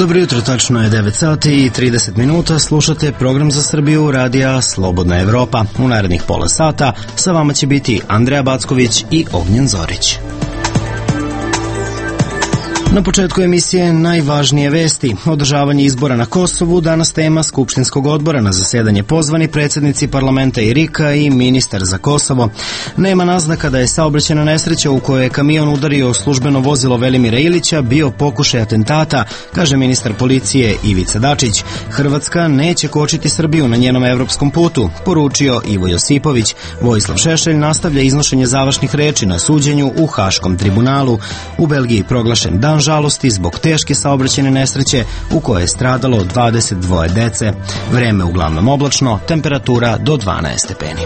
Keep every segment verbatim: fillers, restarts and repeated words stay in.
Dobro jutro, tačno je devet sati i trideset minuta, slušate program za Srbiju radija Slobodna Evropa. U narednih pola sata sa vama će biti Andreja Backović i Ognjen Zorić. Na početku emisije najvažnije vesti. Održavanje izbora na Kosovu, danas tema Skupštinskog odbora, na zasedanje pozvani predsjednici parlamenta i RIK-a i ministar za Kosovo. Nema naznaka da je saobraćajna nesreća u kojoj je kamion udario službeno vozilo Velimira Ilića bio pokušaj atentata, kaže ministar policije Ivica Dačić. Hrvatska neće kočiti Srbiju na njenom evropskom putu, poručio Ivo Josipović. Vojislav Šešelj nastavlja iznošenje završnih reči na suđenju u Haškom tribunalu. U Belgiji proglašen dan žalosti zbog teške saobraćajne nesreće u kojoj je stradalo dvadeset dvoje dece. Vreme uglavnom oblačno, temperatura do dvanaest stepeni.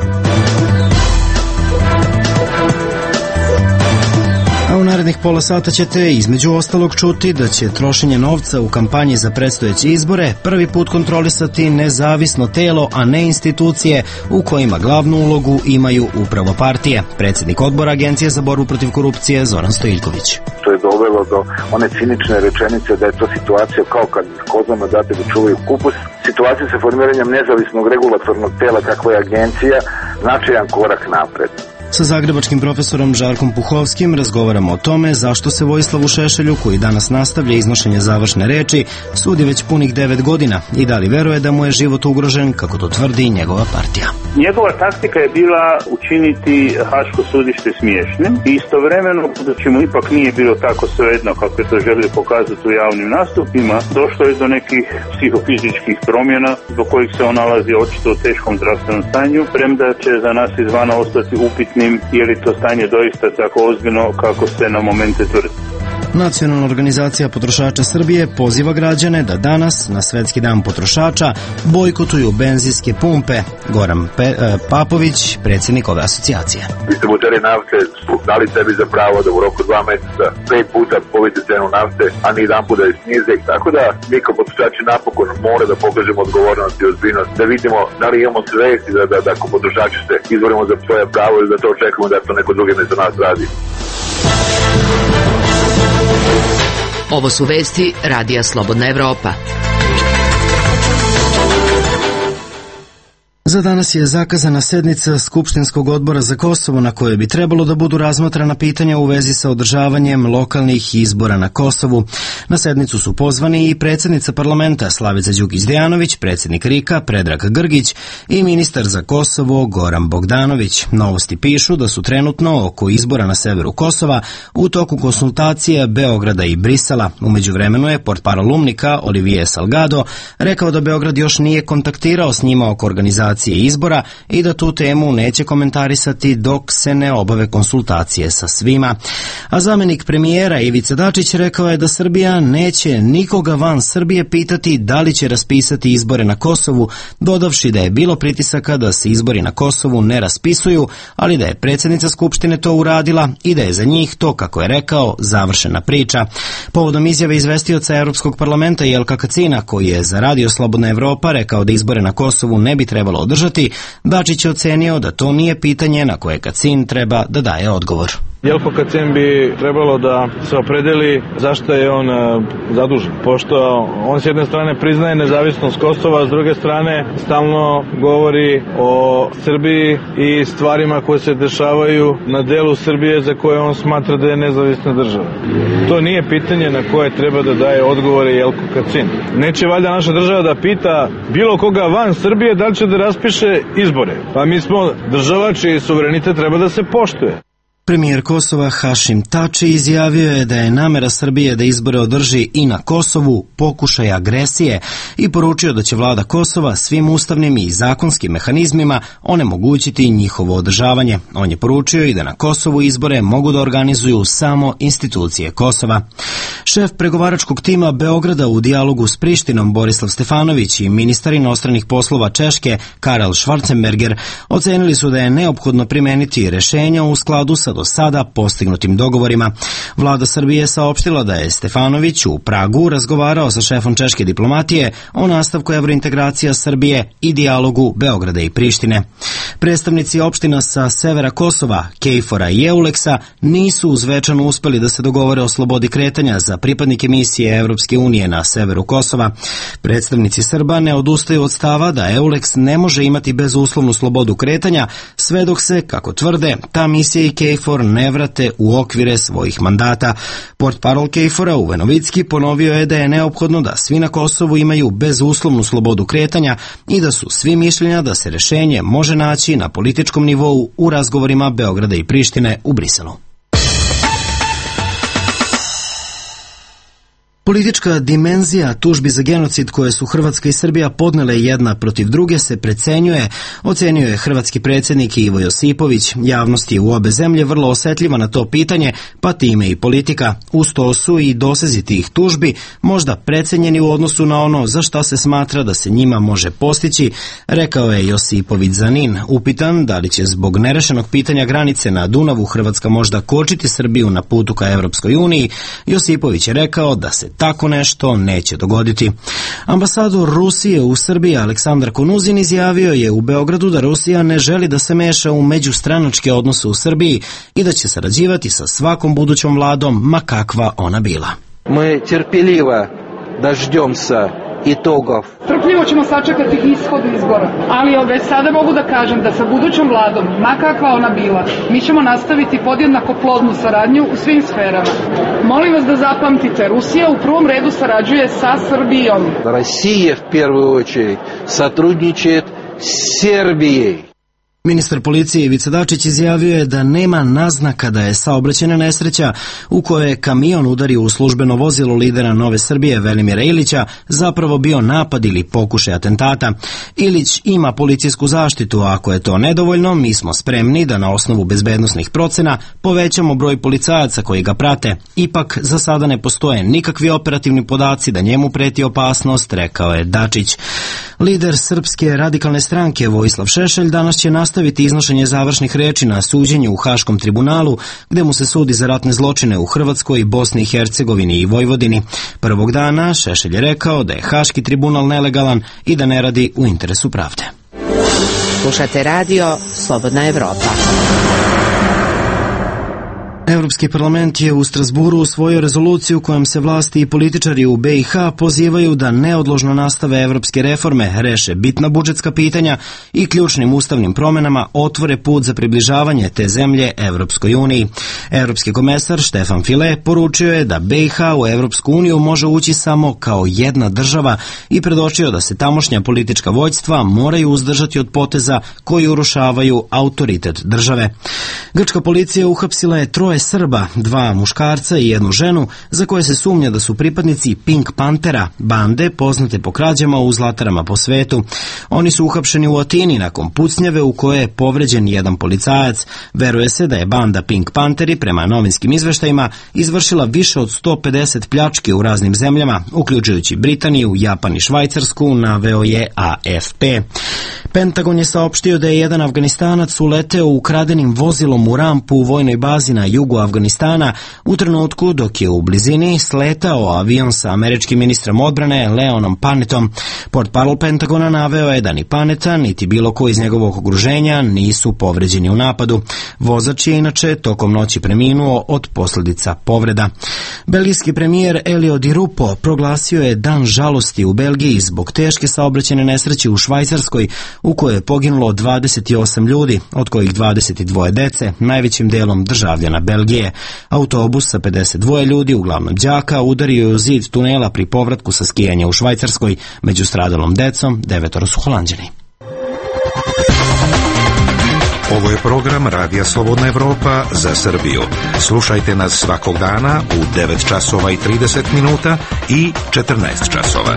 A u narednih pola sata ćete između ostalog čuti da će trošenje novca u kampanji za predstojeće izbore prvi put kontrolisati nezavisno telo, a ne institucije u kojima glavnu ulogu imaju upravo partije. Predsjednik odbora Agencije za borbu protiv korupcije Zoran Stojiljković. To je dovelo do one cinične rečenice da je to situacija kao kad kozama date da čuvaju kupus. Situacija sa formiranjem nezavisnog regulatornog tela kakva je agencija značajan korak napred. Sa zagrebačkim profesorom Žarkom Puhovskim razgovaramo o tome zašto se Vojislavu Šešelju, koji danas nastavlja iznošenje završne reči, sudi već punih devet godina i da li veruje da mu je život ugrožen, kako to tvrdi njegova partija. Njegova taktika je bila učiniti Haško sudište smiješnim i istovremeno, budući mu ipak nije bilo tako svejedno kako je to želio pokazati u javnim nastupima, došlo je do nekih psihofizičkih promjena zbog kojih se on nalazi očito u teškom zdravstvenom stanju, premda će za nas izvana ostati upitnim je li to stanje doista tako ozbiljno kako se na momente tvrdi. Nacionalna organizacija potrošača Srbije poziva građane da danas, na Svetski dan potrošača, bojkotuju benzinske pumpe. Goran Pe, e, Papović, predsjednik ove asocijacije. Distributeri nafte su dali sebi za pravo da u roku dva meseca pet puta povise cenu nafte, a ni jedan put da je snize. Tako da mi kao potrošači napokon mora da pokažemo odgovornost i ozbiljnost, da vidimo da li imamo svesti da, da, da ako potrošači se izborimo za svoje pravo ili da to očekujemo da to neko drugi mesto nas radi. Ovo su vesti radija Slobodna Evropa. Za danas je zakazana sednica Skupštinskog odbora za Kosovo na kojoj bi trebalo da budu razmatrana pitanja u vezi sa održavanjem lokalnih izbora na Kosovu. Na sednicu su pozvani i predsjednica parlamenta Slavica Đukić-Dejanović, predsjednik RIK-a Predrag Grgić i ministar za Kosovo Goran Bogdanović. Novosti pišu da su trenutno oko izbora na severu Kosova u toku konsultacija Beograda i Brisela. U međuvremenu je portparol UMNIK-a Olivier Salgado rekao da Beograd još nije kontaktirao s njima oko organizacije izbora i da tu temu neće komentarisati dok se ne obave konsultacije sa svima. A zamjenik premijera Ivica Dačić rekao je da Srbija neće nikoga van Srbije pitati da li će raspisati izbore na Kosovu, dodavši da je bilo pritisaka da se izbori na Kosovu ne raspisuju, ali da je predsjednica Skupštine to uradila i da je za njih to, kako je rekao, završena priča. Povodom izjave izvestioca Europskog parlamenta Jelka Kacina, koji je za Radio Slobodna Evropa rekao da izbore na Kosovu ne bi trebalo održati, Dačić je ocenio da to nije pitanje na koje Kacin treba da daje odgovor. Jelko Kacin bi trebalo da se opredeli zašto je on zadužen, pošto on s jedne strane priznaje nezavisnost Kosova, a s druge strane stalno govori o Srbiji i stvarima koje se dešavaju na delu Srbije za koje on smatra da je nezavisna država. To nije pitanje na koje treba da daje odgovore Jelko Kacin. Neće valjda naša država da pita bilo koga van Srbije da li će da raspiše izbore. Pa mi smo država čiji suverenitet treba da se poštuje. Premijer Kosova Hašim Tači izjavio je da je namera Srbije da izbore održi i na Kosovu pokušaj agresije i poručio da će vlada Kosova svim ustavnim i zakonskim mehanizmima onemogućiti njihovo održavanje. On je poručio i da na Kosovu izbore mogu da organizuju samo institucije Kosova. Šef pregovaračkog tima Beograda u dijalogu s Prištinom Borislav Stefanović i ministar inostranih poslova Češke Karel Schwarzenberger ocenili su da je neophodno primeniti rešenja u skladu sa do sada postignutim dogovorima. Vlada Srbije je saopštila da je Stefanović u Pragu razgovarao sa šefom češke diplomatije o nastavku evrointegracija Srbije i dijalogu Beograda i Prištine. Predstavnici opština sa severa Kosova, Kejfora i Euleksa nisu uz Zvečan uspeli da se dogovore o slobodi kretanja za pripadnike misije Evropske unije na severu Kosova. Predstavnici Srba ne odustaju od stava da Euleks ne može imati bezuslovnu slobodu kretanja sve dok se, kako tvrde, ta misija i Kejfor ne vrate u okvire svojih mandata. Portparol Kejfora Uwe Novicki ponovio je da je neophodno da svi na Kosovu imaju bezuslovnu slobodu kretanja i da su svi mišljenja da se rešenje može naći na političkom nivou u razgovorima Beograda i Prištine u Briselu. Politička dimenzija tužbi za genocid koje su Hrvatska i Srbija podnele jedna protiv druge se precenjuje, ocenio je hrvatski predsjednik Ivo Josipović. Javnost je u obe zemlje vrlo osetljiva na to pitanje, pa time i politika. Uz to su i dosezi tih tužbi možda precenjeni u odnosu na ono za šta se smatra da se njima može postići, rekao je Josipović za Nin. Upitan da li će zbog nerešenog pitanja granice na Dunavu Hrvatska možda kočiti Srbiju na putu ka Evropskoj uniji, Josipović je rekao da se tako nešto neće dogoditi. Ambasador Rusije u Srbiji Aleksandar Konuzin izjavio je u Beogradu da Rusija ne želi da se meša u međustranačke odnose u Srbiji i da će sarađivati sa svakom budućom vladom, ma kakva ona bila. Mi terpeljivo daždemся itogov. Strpljivo ćemo sačekati ishod izbora, ali već sada mogu da kažem da sa budućom vladom, ma kakva ona bila, mi ćemo nastaviti podjednako plodnu saradnju u svim sferama. Molim vas da zapamtite, Rusija u prvom redu sarađuje sa Srbijom. Rusija v prvu очередь сотрудничает с Сербией. Ministar policije Ivica Dačić izjavio je da nema naznaka da je saobraćajna nesreća u kojoj je kamion udario u službeno vozilo lidera Nove Srbije Velimira Ilića zapravo bio napad ili pokušaj atentata. Ilić ima policijsku zaštitu, a ako je to nedovoljno, mi smo spremni da na osnovu bezbednosnih procena povećamo broj policajaca koji ga prate. Ipak, za sada ne postoje nikakvi operativni podaci da njemu preti opasnost, rekao je Dačić. Lider Srpske radikalne stranke Vojislav Šešelj danas će nastaviti iznošenje završnih reči na suđenju u Haškom tribunalu, gde mu se sudi za ratne zločine u Hrvatskoj, Bosni i Hercegovini i Vojvodini. Prvog dana Šešelj je rekao da je Haški tribunal nelegalan i da ne radi u interesu pravde. Slušate radio Slobodna Evropa. Evropski parlament je u Strasburu usvojio rezoluciju kojom se vlasti i političari u be i ha pozivaju da neodložno nastave evropske reforme, reše bitna budžetska pitanja i ključnim ustavnim promenama otvore put za približavanje te zemlje Evropskoj uniji. Evropski komesar Štefan File poručio je da be i ha u Evropsku uniju može ući samo kao jedna država i predočio da se tamošnja politička vođstva moraju uzdržati od poteza koji urušavaju autoritet države. Grčka policija uhapsila je troje Srba, dva muškarca i jednu ženu, za koje se sumnja da su pripadnici Pink Pantera, bande poznate po krađama u zlatarama po svetu. Oni su uhapšeni u Atini nakon pucnjave u kojoj je povređen jedan policajac. Veruje se da je banda Pink Panteri, prema novinskim izveštajima, izvršila više od sto pedeset pljački u raznim zemljama, uključujući Britaniju, Japan i Švajcarsku, naveo je a ef pe. Pentagon je saopštio da je jedan Afganistanac uleteo ukradenim vozilom u rampu u vojnoj bazi na jugu Afganistana u trenutku dok je u blizini sletao avion sa američkim ministrom odbrane Leonom Panetom. Portparol Pentagona naveo je da ni Paneta, niti bilo ko iz njegovog okruženja nisu povređeni u napadu. Vozač je inače tokom noći preminuo od posljedica povreda. Belgijski premijer Elio Di Rupo proglasio je dan žalosti u Belgiji zbog teške saobraćajne nesreće u Švajcarskoj u kojoj je poginulo dvadeset osam ljudi, od kojih dvadeset dva dece, najvećim delom državljana Belgije. Autobus sa pedeset dva ljudi, uglavnom đaka, udario je u zid tunela pri povratku sa skijanja u Švajcarskoj. Među stradalom decom devetoro su Holanđani. Ovo je program Radija Slobodna Evropa za Srbiju. Slušajte nas svakog dana u devet časova i trideset minuta i četrnaest časova.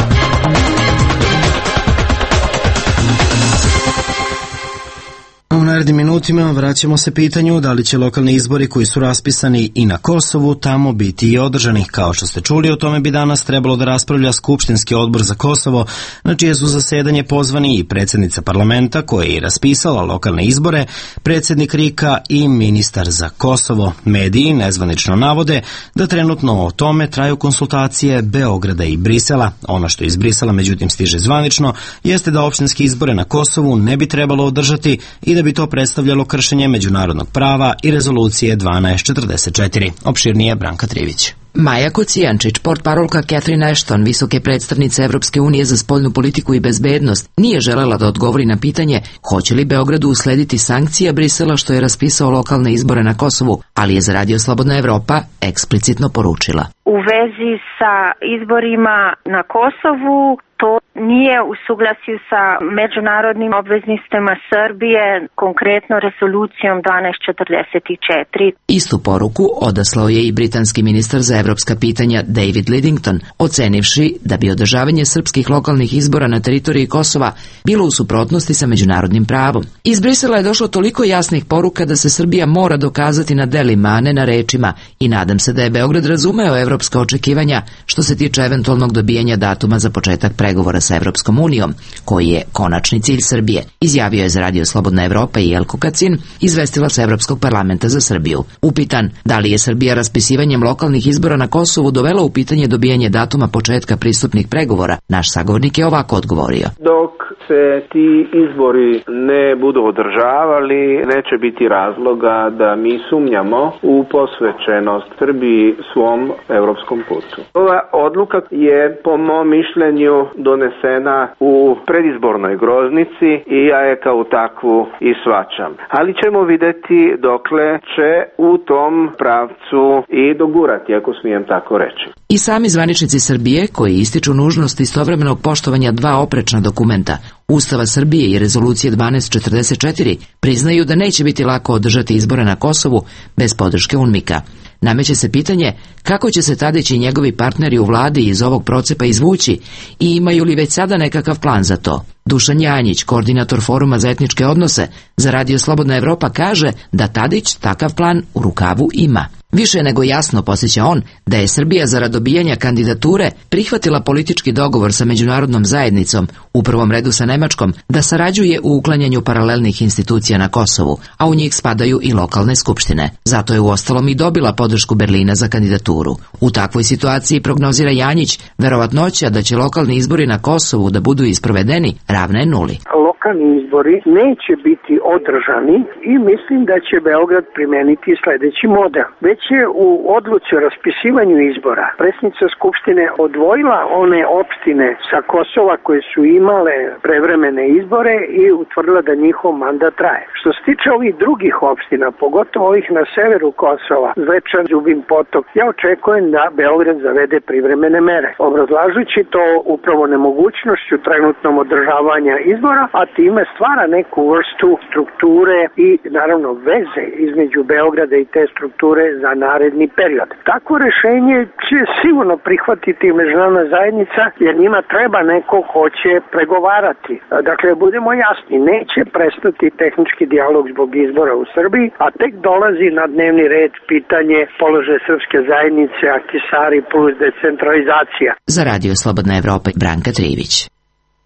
U narednim minutima vraćamo se pitanju da li će lokalni izbori koji su raspisani i na Kosovu tamo biti i održani. Kao što ste čuli, o tome bi danas trebalo da raspravlja Skupštinski odbor za Kosovo, na čije su zasedanje pozvani i predsjednica parlamenta koja je i raspisala lokalne izbore, predsjednik Rika i ministar za Kosovo. Mediji nezvanično navode da trenutno o tome traju konsultacije Beograda i Brisela. Ono što iz Brisela međutim stiže zvanično jeste da opštinski izbore na Kosovu ne bi trebalo održati i da bi to predstavljalo kršenje međunarodnog prava i rezolucije dvanaest četrdeset četiri. Opširnije Branka Trivić. Maja Kocijančić, portparolka Catherine Ashton, visoke predstavnice Evropske unije za spoljnu politiku i bezbednost, nije želela da odgovori na pitanje hoće li Beogradu uslediti sankcija Brisela što je raspisao lokalne izbore na Kosovu, ali je za Radio Slobodna Evropa eksplicitno poručila. U vezi sa izborima na Kosovu, to nije u suglasju sa međunarodnim obveznostima Srbije, konkretno rezolucijom dvanaest četrdeset četiri. Istu poruku odaslao je i britanski ministar za evropska pitanja David Lidington, ocenivši da bi održavanje srpskih lokalnih izbora na teritoriji Kosova bilo u suprotnosti sa međunarodnim pravom. Iz Brisela je došlo toliko jasnih poruka da se Srbija mora dokazati na delima, a ne na rečima, i nadam se da je Beograd razumeo evropska očekivanja što se tiče eventualnog dobijanja datuma za početak pregovora sa Evropskom unijom, koji je konačni cilj Srbije, izjavio je za Radio Slobodna Evropa i Jelko Kacin, izvestilac Evropskog parlamenta za Srbiju. Upitan da li je Srbija raspisivanjem lokalnih izbora na Kosovu dovela u pitanje dobijanje datuma početka pristupnih pregovora, naš sagovornik je ovako odgovorio. Dok se ti izbori ne budu održavali, neće biti razloga da mi sumnjamo u posvećenost Srbiji svom evropskom putu. Ova odluka je po mom mišljenju donesena u predizbornoj groznici i ja je kao takvu i shvaćam. Ali ćemo vidjeti dokle će u tom pravcu i dogurati, ako smijem tako reći. I sami zvaničnici Srbije, koji ističu nužnost istovremenog poštovanja dva oprečna dokumenta, Ustava Srbije i rezolucije dvanaest četrdeset četiri, priznaju da neće biti lako održati izbore na Kosovu bez podrške UNMIK-a. Nameće se pitanje kako će se Tadić i njegovi partneri u vladi iz ovog procepa izvući i imaju li već sada nekakav plan za to. Dušan Janjić, koordinator Foruma za etničke odnose, za Radio Slobodna Evropa kaže da Tadić takav plan u rukavu ima. Više nego jasno podsjeća on da je Srbija zarad dobijanja kandidature prihvatila politički dogovor sa međunarodnom zajednicom, u prvom redu sa Nemačkom, da sarađuje u uklanjanju paralelnih institucija na Kosovu, a u njih spadaju i lokalne skupštine. Zato je uostalom i dobila podršku Berlina za kandidaturu. U takvoj situaciji, prognozira Janjić, verovatnoća da će lokalni izbori na Kosovu da budu isprovedeni ravna je nuli. Lokalni izbori neće biti održani i mislim da će Beograd primeniti sljedeći model. Već je u odluci o raspisivanju izbora predsjednica Skupštine odvojila one opštine sa Kosova koje su imale prevremene izbore i utvrdila da njihov mandat traje. Što se tiče ovih drugih opština, pogotovo ovih na severu Kosova, Zvečan, Zubin Potok, ja očekujem da Beograd zavede privremene mere, obrazlažući to upravo nemogućnošću trenutnom održavanja izbora, a time stvara neku vrstu strukture i naravno veze između Beograda i te strukture za naredni period. Takvo rešenje će sigurno prihvatiti međunarodna zajednica, jer njima treba neko ko će pregovarati. Dakle, budemo jasni, neće prestati tehnički dijalog zbog izbora u Srbiji, a tek dolazi na dnevni red pitanje položaja srpske zajednice, Ahtisari plus decentralizacija. Za Radio Slobodna Evropa, Branka Trivić.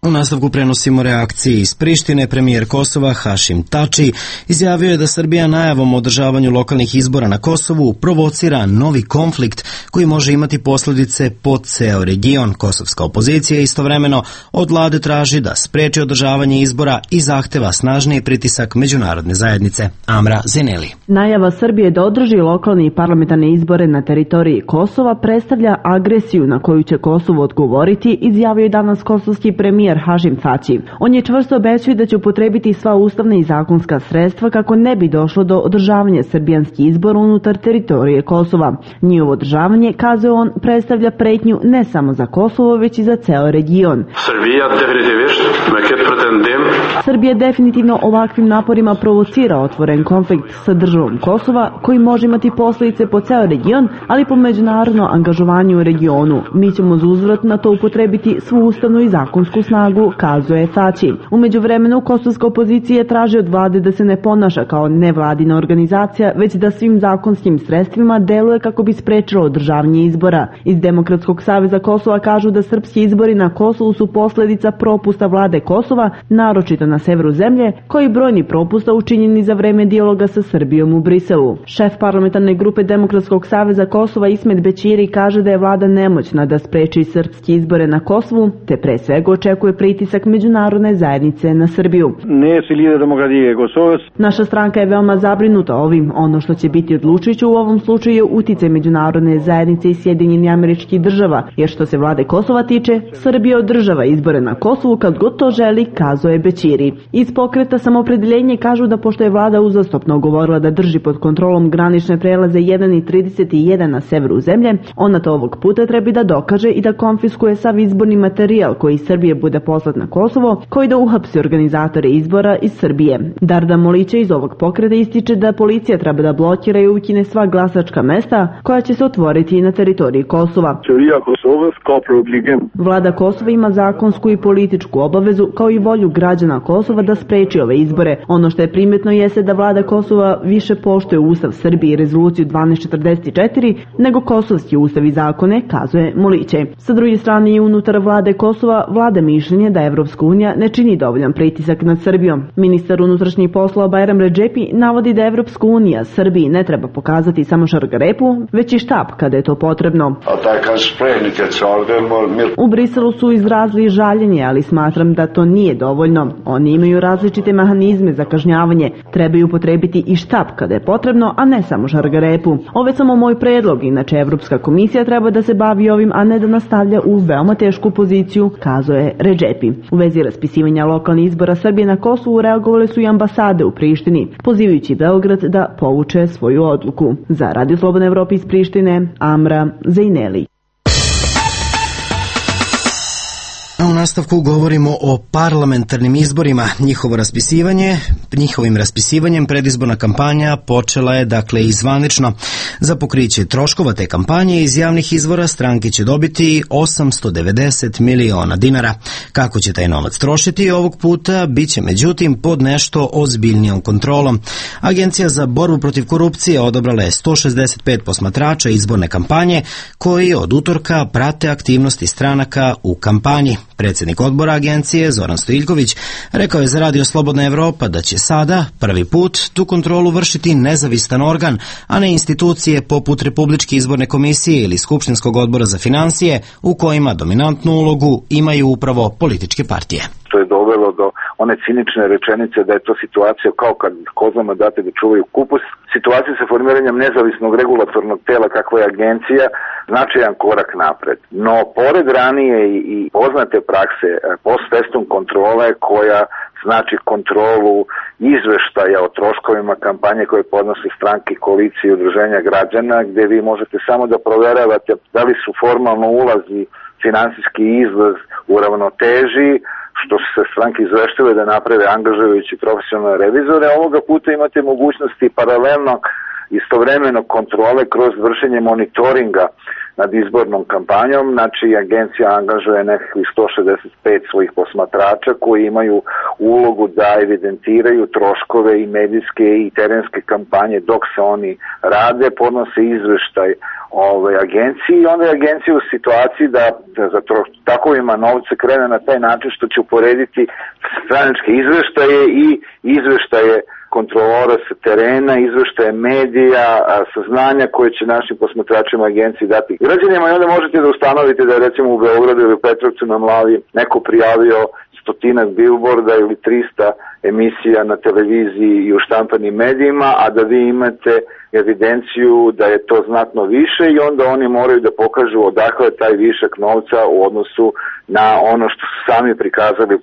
U nastavku prenosimo reakcije iz Prištine. Premijer Kosova Hašim Tači izjavio je da Srbija najavom o održavanju lokalnih izbora na Kosovu provocira novi konflikt koji može imati posljedice po ceo region. Kosovska opozicija istovremeno od vlade traži da spreči održavanje izbora i zahteva snažniji pritisak međunarodne zajednice. Amra Zineli. Najava Srbije da održi lokalne i parlamentarne izbore na teritoriji Kosova predstavlja agresiju na koju će Kosovo odgovoriti, izjavio je danas kosovski premijer Hašim Tači. On je čvrsto obećao da će upotrebiti sva ustavna i zakonska sredstva kako ne bi došlo do održavanja srbijanskih izbora unutar teritorije Kosova. Njihovo održavanje, kazuje on, predstavlja pretnju ne samo za Kosovo, već i za ceo region. Srbija definitivno ovakvim naporima provocira otvoren konflikt sa državom Kosova, koji može imati posljedice po ceo region, ali po međunarodno angažovanju u regionu. Mi ćemo za uzvrat na to upotrebiti svu ustavnu i zakonsku snagu, snagu, kazuje Faći. U međuvremenu kosovska opozicija traži od vlade da se ne ponaša kao nevladina organizacija, već da svim zakonskim sredstvima deluje kako bi sprečilo održavanje izbora. Iz Demokratskog saveza Kosova kažu da srpski izbori na Kosovu su posledica propusta vlade Kosova, naročito na severu zemlje, koji brojni propusta učinjeni za vreme dijaloga sa Srbijom u Briselu. Šef parlamentarne grupe Demokratskog saveza Kosova Ismet Bećiri kaže da je vlada nemoćna da spreči srpski izbore na Kosovu, te pre svega očekuje pritisak međunarodne zajednice na Srbiju. Naša stranka je veoma zabrinuta ovim. Ono što će biti odlučujuće u ovom slučaju je uticaj međunarodne zajednice i Sjedinjenih Američkih Država, jer što se vlade Kosova tiče, Srbija održava izbore na Kosovu kad god to želi, kazuje Bećiri. Iz pokreta Samoopredeljenje kažu da pošto je vlada uzastopno govorila da drži pod kontrolom granične prelaze jedan i trideset jedan na severu zemlje, ona to ovog puta treba da dokaže i da konfiskuje sav izborni materijal koji iz Srbije bude poslat na Kosovo, koji da uhapsi organizatore izbora iz Srbije. Darda Molića iz ovog pokreta ističe da policija treba da blokira i ukine sva glasačka mesta koja će se otvoriti na teritoriji Kosova. Vlada Kosova ima zakonsku i političku obavezu kao i volju građana Kosova da spreči ove izbore. Ono što je primetno jeste da vlada Kosova više poštuje Ustav Srbije i rezoluciju dvanaest četrdeset četiri nego kosovski ustav i zakone, kazuje Moliće. Sa druge strane i unutar vlade Kosova vlada mišljenje da Evropska unija ne čini dovoljan pritisak nad Srbijom. Ministar unutrašnjih poslova Bajram Redžepi navodi da Evropska unija Srbiji ne treba pokazati samo šargarepu, već i štap kada je to potrebno. U Briselu su izrazili žaljenje, ali smatram da to nije dovoljno. Oni imaju različite mehanizme za kažnjavanje. Trebaju upotrebiti i štap kada je potrebno, a ne samo šargarepu. Ovo je samo moj predlog, inače Evropska komisija treba da se bavi ovim, a ne da nastavlja u veoma tešku poziciju, kazuje Redžepi. U vezi raspisivanja lokalnih izbora Srbije na Kosovu reagovale su i ambasade u Prištini, pozivajući Beograd da povuče svoju odluku. Za Radio Slobodna Evropa iz Prištine, Amra Zejneli. U nastavku govorimo o parlamentarnim izborima. Njihovo raspisivanje, njihovim raspisivanjem predizborna kampanja počela je dakle i zvanično. Za pokriće troškova te kampanje iz javnih izvora stranke će dobiti osamsto devedeset miliona dinara. Kako će taj novac trošiti ovog puta biće međutim pod nešto ozbiljnijom kontrolom. Agencija za borbu protiv korupcije odabrala je sto šezdeset pet posmatrača izborne kampanje koji od utorka prate aktivnosti stranaka u kampanji. Predsjednik odbora agencije Zoran Stojiljković rekao je za Radio Slobodna Evropa da će sada prvi put tu kontrolu vršiti nezavistan organ, a ne institucije poput Republičke izborne komisije ili Skupštinskog odbora za financije u kojima dominantnu ulogu imaju upravo političke partije. To je dovelo do one cinične rečenice da je to situacija kao kad kozama date da čuvaju kupus. Situacija sa formiranjem nezavisnog regulatornog tela kakva je agencija značajan korak napred. No, pored ranije i poznate prakse post festum kontrole koja znači kontrolu izveštaja o troškovima kampanje koje podnosi stranke, koalicije i udruženja građana, gde vi možete samo da proveravate da li su formalno ulazi, finansijski izlaz u ravnoteži, što se stranke izveštile da naprave angažujući profesionalne revizore. Ovoga puta imate mogućnosti paralelno istovremeno kontrole kroz vršenje monitoringa nad izbornom kampanjom. Znači, agencija angažuje nekakvih sto šezdeset pet svojih posmatrača koji imaju ulogu da evidentiraju troškove i medijske i terenske kampanje dok se oni rade, podnose izveštaj ove agencije i onda je agencija u situaciji da, da za tro, takovima novce krene na taj način što će uporediti straničke izveštaje i izveštaje kontrolora sa terena, izveštaje medija, saznanja koje će našim posmatračima agenciji dati građanima i onda možete da ustanovite da je recimo u Beogradu ili u Petrovcu na Mlavi neko prijavio stotinak bilborda ili trista emisija na televiziji i u štampanim medijima, a da vi imate evidenciju da je to znatno više i onda oni moraju da pokažu odakle je taj višak novca u odnosu na ono što su sami prikazali.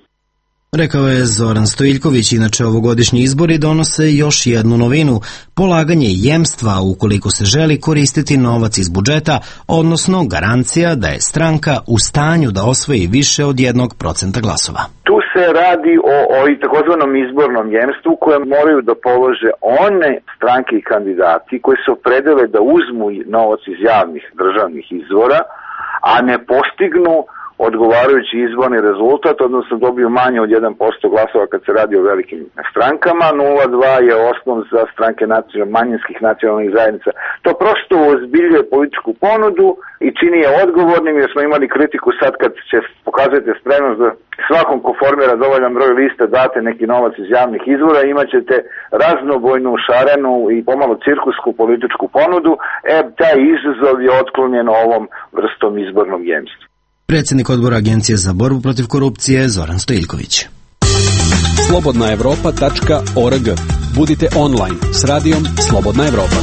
Rekao je Zoran Stojiljković. Inače, ovogodišnji izbori donose još jednu novinu, polaganje jemstva ukoliko se želi koristiti novac iz budžeta, odnosno garancija da je stranka u stanju da osvoji više od jednog procenta glasova. Tu se radi o, o takozvanom izbornom jemstvu koje moraju da polože one stranke i kandidati koji se opredele da uzmu novac iz javnih državnih izvora, a ne postignu odgovarajući izborni rezultat, odnosno dobiju manje od jedan posto glasova kad se radi o velikim strankama. nula zarez dva je osnov za stranke nacionalnih, manjinskih nacionalnih zajednica. To prosto ozbiljuje političku ponudu i čini je odgovornim, jer smo imali kritiku sad kad će pokazati spremnost da svakom ko formira dovoljan broj lista date neki novac iz javnih izvora, imat ćete raznobojnu, šarenu i pomalo cirkusku političku ponudu. E, taj izazov je otklonjen ovom vrstom izbornog jemstva. Predsjednik odbora Agencije za borbu protiv korupcije Zoran Stojiljković. slobodna evropa tačka org. Budite online s radijom Slobodna Evropa.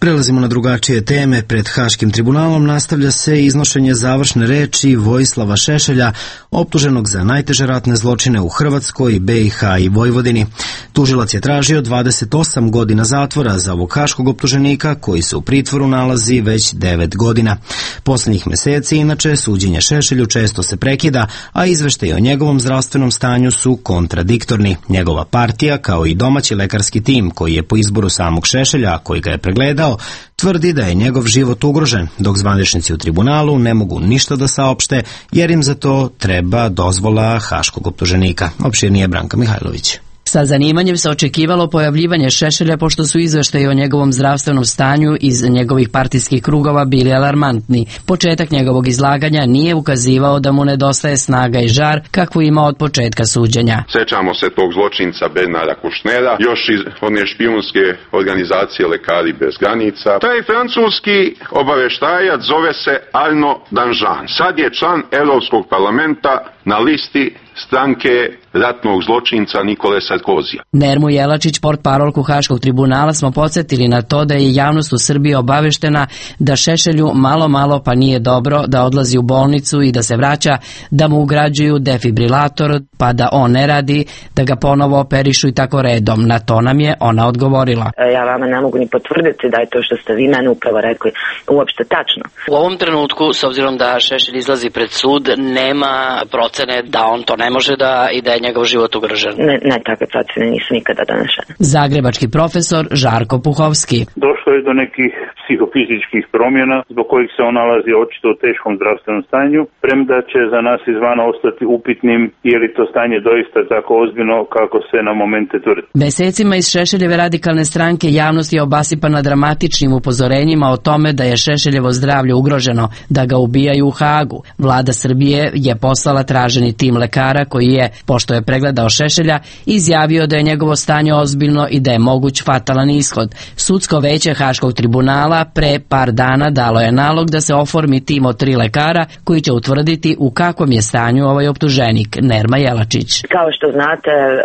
Prelazimo na drugačije teme. Pred Haškim tribunalom nastavlja se iznošenje završne reči Vojislava Šešelja, optuženog za najteže ratne zločine u Hrvatskoj, B i H i Vojvodini. Tužilac je tražio dvadeset osam godina zatvora za ovog haškog optuženika koji se u pritvoru nalazi već devet godina. Posljednjih meseci, inače, suđenje Šešelju često se prekida, a izveštaji o njegovom zdravstvenom stanju su kontradiktorni. Njegova partija, kao i domaći lekarski tim koji je po izboru samog Šešelja, koji ga je pregledao, tvrdi da je njegov život ugrožen, dok zvaničnici u tribunalu ne mogu ništa da saopšte, jer im za to treba dozvola haškog optuženika. Opširnije Branka Mihajlović. Sa zanimanjem se očekivalo pojavljivanje Šešelja, pošto su izveštaji o njegovom zdravstvenom stanju iz njegovih partijskih krugova bili alarmantni. Početak njegovog izlaganja nije ukazivao da mu nedostaje snaga i žar kakvu ima od početka suđenja. Sećamo se tog zločinca Bernara Kušnera, još iz one špijunske organizacije Lekari bez granica. Taj francuski obaveštajac zove se Arnaud Danjean. Sad je član Europskog parlamenta na listi stranke ratnog zločinca Nikole Sarkozija. Nermu Jelačić, portparolku Haškog tribunala, smo podsjetili na to da je javnost u Srbiji obaveštena da Šešelju malo malo pa nije dobro, da odlazi u bolnicu i da se vraća, da mu ugrađuju defibrilator, pa da on ne radi, da ga ponovo operišu i tako redom. Na to nam je ona odgovorila. Ja vama ne mogu ni potvrditi da je to što ste vi meni upravo rekli uopšte tačno. U ovom trenutku, s obzirom da Šešelj izlazi pred sud, nema procene da on to ne može da i da je njegov život ugrožen. Ne, ne, takve procene nisu nikada donešene. Zagrebački profesor Žarko Puhovski. Došlo je do nekih psihofizičkih promjena zbog kojih se on nalazi očito u teškom zdravstvenom stanju, premda će za nas izvana ostati upitnim je li to stanje doista tako ozbiljno kako se na momente tvrdi. Mesecima iz Šešeljeve radikalne stranke javnost je obasipana dramatičnim upozorenjima o tome da je Šešeljevo zdravlje ugroženo, da ga ubijaju u Hagu. Vlada Srbije je poslala traženi tim lekara koji je, pošto je pregledao Šešelja, izjavio da je njegovo stanje ozbiljno i da je moguć fatalan ishod. Sudsko veće Haškog tribunala pre par dana dalo je nalog da se oformi tim od tri lekara koji će utvrditi u kakvom je stanju ovaj optuženik. Nerma Jelačić. Kao što znate, e,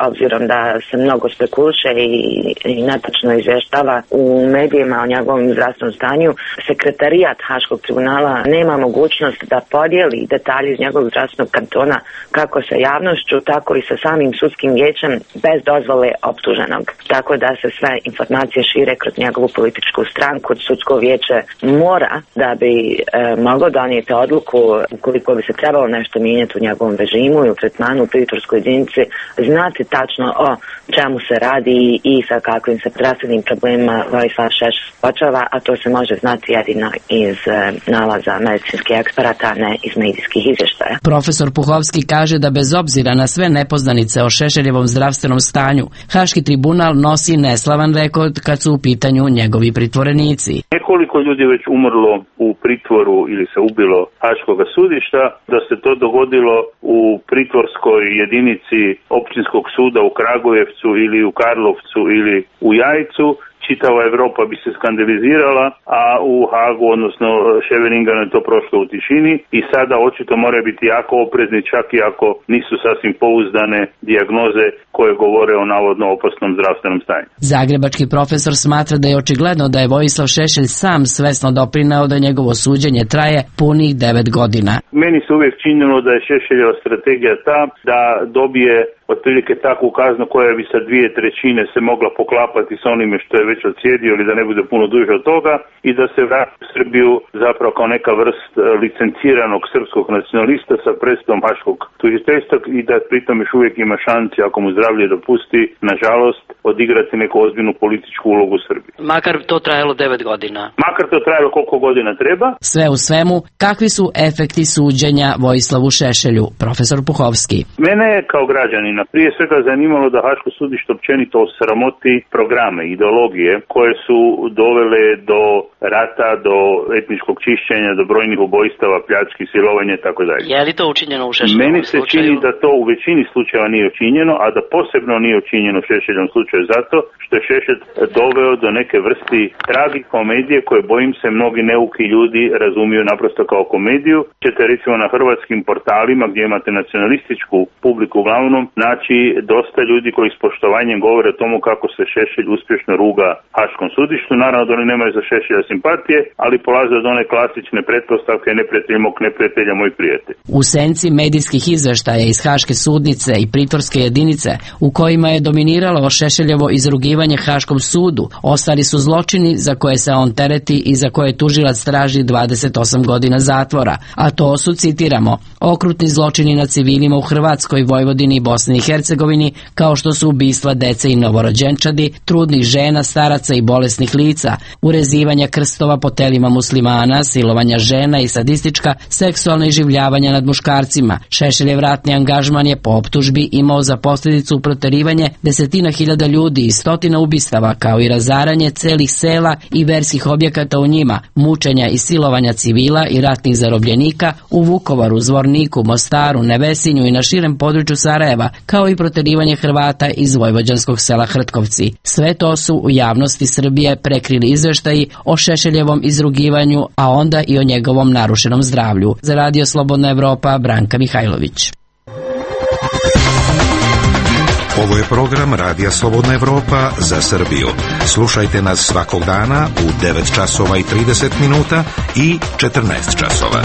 obzirom da se mnogo spekuliše i, i netačno izvještava u medijima o njegovom zdravstvenom stanju, sekretarijat Haškog tribunala nema mogućnost da podijeli detalje iz njegovog zdravstvenog kantona kako sa javnošću, tako i sa samim sudskim vijećem bez dozvole optuženog. Tako da se sve informacije šire kroz njegovu političku stranku. Sudsko vijeće mora, da bi e, moglo donijeti odluku ukoliko bi se trebalo nešto mijenjati u njegovom režimu i u tretmanu u pritvorskoj jedinici, znati tačno o čemu se radi i sa kakvim se zdravstvenim problemima Vojislav Šešelj suočava, a to se može znati jedino iz e, nalaza medicinskih eksperata, a ne iz medijskih izvještaja. Profesor Puhovski kaže da bez obzira na sve nepoznanice o Šešeljevom zdravstvenom stanju, Haški tribunal nosi neslavan rekord kad su u pitanju njegovi pritvorenici. Nekoliko ljudi već umrlo u pritvoru ili se ubilo Haškog sudišta, da se to dogodilo u pritvorskoj jedinici općinskog suda u Kragujevcu ili u Karlovcu ili u Jajcu, čitava Evropa bi se skandalizirala, a u Hagu, odnosno Ševeringanu, je to prošlo u tišini i sada očito moraju biti jako oprezni, čak i ako nisu sasvim pouzdane dijagnoze koje govore o navodno opasnom zdravstvenom stanju. Zagrebački profesor smatra da je očigledno da je Vojislav Šešelj sam svesno doprineo da njegovo suđenje traje punih devet godina. Meni se uvijek činilo da je Šešeljeva strategija ta da dobije otprilike takvu kaznu koja bi sa dvije trećine se mogla poklapati sa onime što je već odsjedio ili da ne bude puno duže od toga i da se vrati u Srbiju zapravo kao neka vrst licenciranog srpskog nacionalista sa predstavom haškog tužiteljstva i da pritom još uvijek ima šanci, ako mu zdravlje dopusti, nažalost, odigrati neku ozbiljnu političku ulogu u Srbiji. Makar to trajalo devet godina. Makar to trajalo koliko godina treba. Sve u svemu, kakvi su efekti suđenja Vojislavu Šešelju, profesor Puhovski? Mene je kao građanina prije svega zanimalo da Haško sudište općenito osramoti programe, ideologije koje su dovele do rata, do etničkog čišćenja, do brojnih ubojstava, pljački, silovanja i tako dalje. Je li to učinjeno u Šešeljevom Meni se slučaju? čini da to u većini slučajeva nije učinjeno, a da posebno nije učinjeno u Šešeljevom slučaju zato što je Šešelj doveo do neke vrsti tragikomedije koje, bojim se, mnogi neuki ljudi razumiju naprosto kao komediju. Ćete recimo na hrvatskim portalima gdje imate nacionalističku publiku uglavnom naći dosta ljudi koji s poštovanjem govore o tomu kako se Šešelj uspješno ruga Haškom sudištu. Naravno da oni nemaju za Šešelja simpatije, ali polaze od one klasične pretpostavke neprijatelj mog neprijatelja moj prijatelj. U senci medijskih izveštaja iz Haške sudnice i pritvorske jedinice u kojima je dominiralo Šešeljevo izrugivanje Haškom sudu, ostali su zločini za koje se on tereti i za koje tužilac traži dvadeset osam godina zatvora, a to su, citiramo, okrutni zločini nad civilima u Hrvatskoj, Vojvodini i Bosni i Hercegovini, kao što su ubistva dece i novorođenčadi, trudnih žena, staraca i bolesnih lica, urezivanja krstova po telima muslimana, silovanja žena i sadistička seksualna iživljavanja nad muškarcima. Šešeljev ratni angažman je po optužbi imao za posljedicu proterivanje desetina hiljada ljudi i stotina ubistava, kao i razaranje celih sela i verskih objekata u njima, mučenja i silovanja civila i ratnih zarobljenika u Vukovaru, Zvorniku, Mostaru, Nevesinju i na širem području Sarajeva, kao i proterivanje Hrvata iz vojvođanskog sela Hrtkovci. Sve to su u javnosti Srbije prekrili izveštaji o Šešeljevom izrugivanju, a onda i o njegovom narušenom zdravlju. Za Radio Slobodna Evropa, Branka Mihajlović. Ovo je program Radija Slobodna Evropa za Srbiju. Slušajte nas svakog dana u devet časova i trideset minuta i četrnaest časova.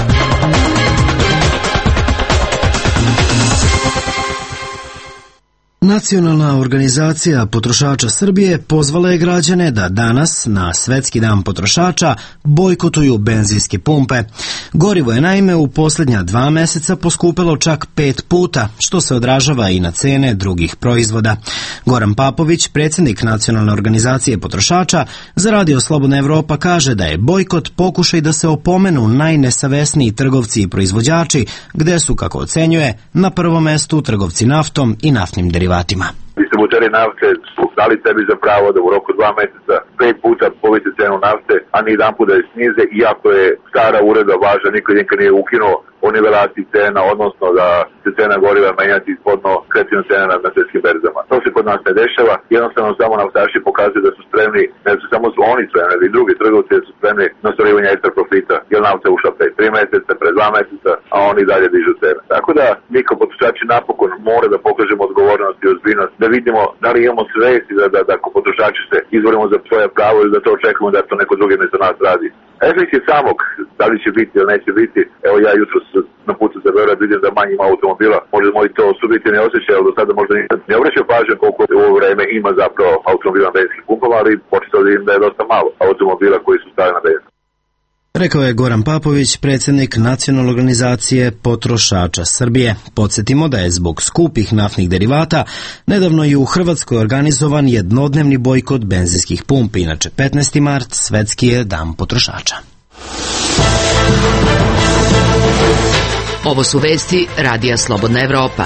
Nacionalna organizacija potrošača Srbije pozvala je građane da danas, na Svetski dan potrošača, bojkotuju benzinske pumpe. Gorivo je naime u posljednja dva meseca poskupelo čak pet puta, što se odražava i na cene drugih proizvoda. Goran Papović, predsjednik Nacionalne organizacije potrošača, za Radio Slobodna Evropa kaže da je bojkot pokušaj da se opomenu najnesavesniji trgovci i proizvođači, gde su, kako ocenjuje, na prvom mestu trgovci naftom i naftnim derivatima. Distributeri nafte su dali sebi za pravo da u roku dva mjeseca pet puta povise cenu nafte, a ni jedan put da je snize, iako je stara uredba važna, niko nikad nije ukinuo o nivelaciji cena, odnosno da se cena goriva menjati ispodno krećenu cena na, na svjetskim berzama. To se kod nas ne dešava, jednostavno samo naftaši pokazuju da su spremni, ne su samo su oni spremni, i drugi trgovci da su spremni na ostvarivanje ekstra profita, jer nafta je ušla pre tri mjeseca, pre dva mjeseca, a oni dalje dižu cene. Tako da mi kao potrošači napokon mora da pokažemo odgovornost i ozbiljnost, da vidimo da li imamo svesti da, da, da ako potrošači se izborimo za svoje pravo ili da to očekujemo da to neko drugi mesto nas radi. Efekt je samog, da li će biti ili neće biti, evo ja jutro na putu za Beograd vidim da manje ima automobila, možda moji to subjektivni osjećaj, ali do sada možda ne obraćaju pažnju koliko u ovo vreme ima zapravo automobila na benzinskim pumpama, ali početo da vidim da je dosta malo automobila koji su stavili na benzin. Rekao je Goran Papović, predsjednik Nacionalne organizacije potrošača Srbije. Podsjetimo da je zbog skupih naftnih derivata nedavno i u Hrvatskoj organizovan jednodnevni bojkot benzinskih pumpi. Inače, petnaesti mart, Svetski je dan potrošača. Ovo su vesti Radija Slobodna Evropa.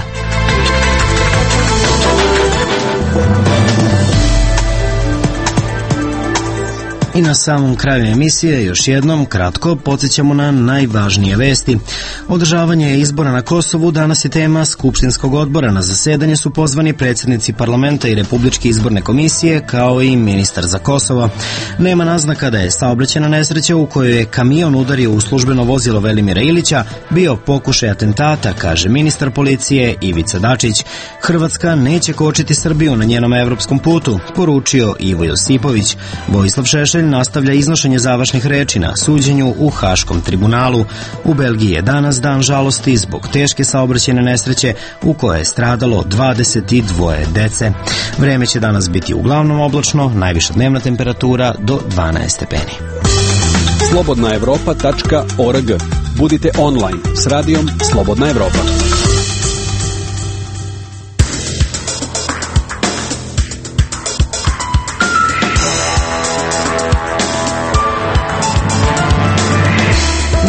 I na samom kraju emisije još jednom kratko podsjećamo na najvažnije vesti. Održavanje izbora na Kosovu danas je tema Skupštinskog odbora. Na zasedanje su pozvani predsjednici parlamenta i Republičke izborne komisije, kao i ministar za Kosovo. Nema naznaka da je saobraćajna nesreća u kojoj je kamion udario u službeno vozilo Velimira Ilića bio pokušaj atentata, kaže ministar policije Ivica Dačić. Hrvatska neće kočiti Srbiju na njenom evropskom putu, poručio Ivo Josipović. Vojislav Šešelj tužitelj nastavlja iznošenje završnih reči na suđenju u Haškom tribunalu. U Belgiji je danas dan žalosti zbog teške saobraćajne nesreće u kojoj je stradalo dvadeset dvoje dece. Vreme će danas biti uglavnom oblačno, najviša dnevna temperatura do dvanaest stepeni. slobodna evropa tačka org. Budite online s radijom Slobodna Evropa.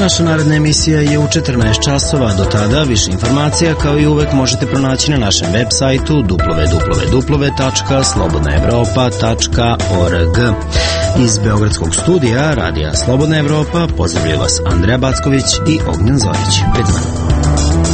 Naša naredna emisija je u četrnaest časova. Do tada više informacija kao i uvek možete pronaći na našem web sajtu w w w tačka slobodna evropa tačka org. Iz Beogradskog studija Radija Slobodna Evropa pozdravljaju vas Andreja Backović i Ognjen Zorić. Pred vama.